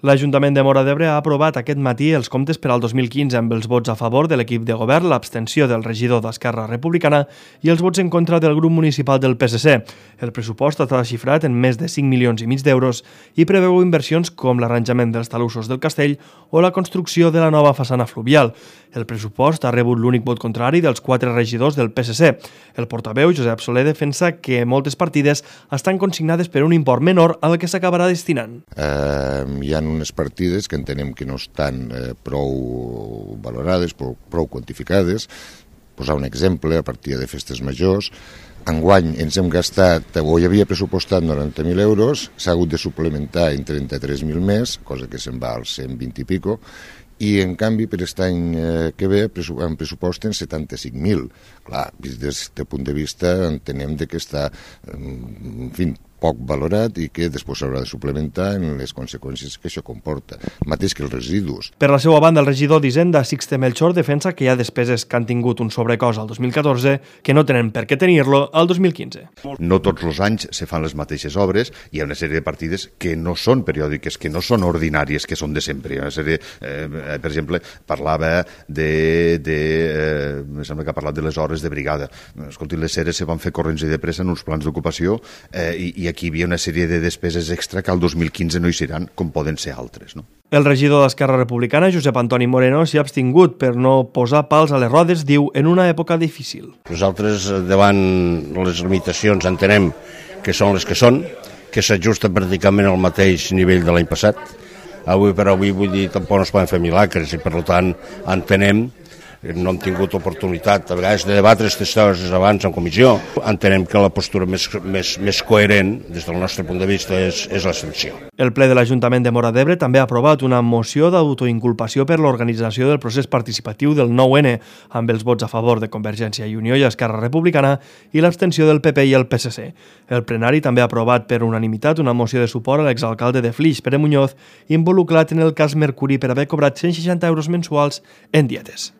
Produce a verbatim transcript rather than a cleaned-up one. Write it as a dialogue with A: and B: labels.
A: L'Ajuntament de Móra d'Ebre ha aprovat aquest matí els comptes per al dos mil quinze amb els vots a favor de l'equip de govern, l'abstenció del regidor d'Esquerra Republicana i els vots en contra del grup municipal del P S C. El pressupost està xifrat en més de cinc milions i mig d'euros i preveu inversions com l'arranjament dels talussos del castell o la construcció de la nova façana fluvial. El pressupost ha rebut l'únic vot contrari dels quatre regidors del P S C. El portaveu, Josep Soler, defensa que moltes partides estan consignades per un import menor al que s'acabarà destinant.
B: Eh, hi ha unes partides que entenem que no estan eh, prou valorades, prou, prou quantificades. Posar un exemple, a partir de festes majors, enguany ens hem gastat, o hi havia pressupostat noranta mil euros, s'ha hagut de suplementar en trenta-tres mil més, cosa que se'n va als cent vint i pico, i en canvi per aquest any que ve en pressuposten setanta-cinc mil. Clar, des d'aquest punt de vista entenem que està, en fi, poc valorat i que després s'haurà de suplementar en les conseqüències que això comporta, mateix que els residus.
A: Per la seva banda, el regidor d'Hisenda, Sixte Melchor, defensa que hi ha despeses que han tingut un sobrecost al dos mil catorze que no tenen per què tenir-lo al dos mil quinze.
C: No tots els anys se fan les mateixes obres, hi ha una sèrie de partides que no són periòdiques, que no són ordinàries, que són de sempre. Una sèrie, eh, per exemple, parlava de, de eh, em sembla que ha parlat de les hores de brigada. Escolti, les sèries se van fer corrents i de pressa en uns plans d'ocupació eh, i, i aquí hi havia una sèrie de despeses extra que al dos mil quinze no hi seran, com poden ser altres, no?
A: El regidor d'Esquerra Republicana, Josep Antoni Moreno, s'hi ha abstingut per no posar pals a les rodes, diu, en una època difícil.
D: Nosaltres, davant les limitacions, entenem que són les que són, que s'ajusten pràcticament al mateix nivell de l'any passat. Avui per avui, vull dir, tampoc no es poden fer milagres i, per tant, entenem no hem tingut oportunitat a vegades de debatre aquestes coses abans en comissió. Entenem que la postura més, més, més coherent des del nostre punt de vista és, és l'abstenció.
A: El ple de l'Ajuntament de Móra d'Ebre també ha aprovat una moció d'autoinculpació per l'organització del procés participatiu del nou ene, amb els vots a favor de Convergència i Unió i Esquerra Republicana i l'abstenció del P P i el P S C. El plenari també ha aprovat per unanimitat una moció de suport a l'exalcalde de Flix, Pere Muñoz, involucrat en el cas Mercuri per haver cobrat cent seixanta euros mensuals en dietes.